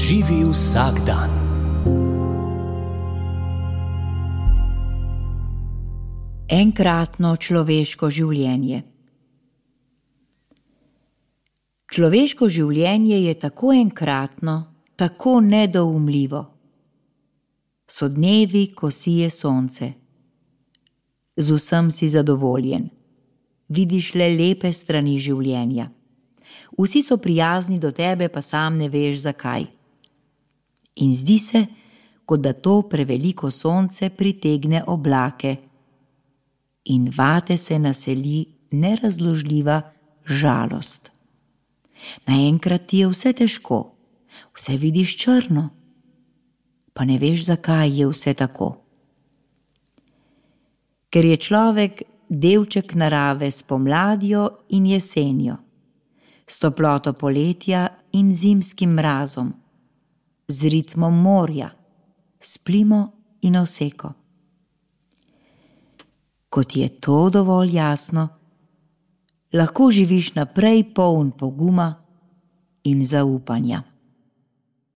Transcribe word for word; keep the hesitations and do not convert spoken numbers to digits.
Živi vsak dan. Enkratno človeško življenje. Človeško življenje je tako enkratno, tako nedoumljivo. So dnevi, ko sije sonce. Z vsem si zadovoljen. Vidiš le lepe strani življenja. Vsi so prijazni do tebe, pa sam ne veš zakaj. In zdi se, kot da to preveliko sonce pritegne oblake. In vate se naseli nerazložljiva žalost. Naenkrat ti je vse težko, vse vidiš črno, pa ne veš, zakaj je vse tako. Ker je človek delček narave s pomladjo in jesenjo, s toploto poletja in zimskim mrazom, z ritmom morja, s plimo in oseko. Ko ti je to dovolj jasno, lahko živiš naprej poln poguma in zaupanja.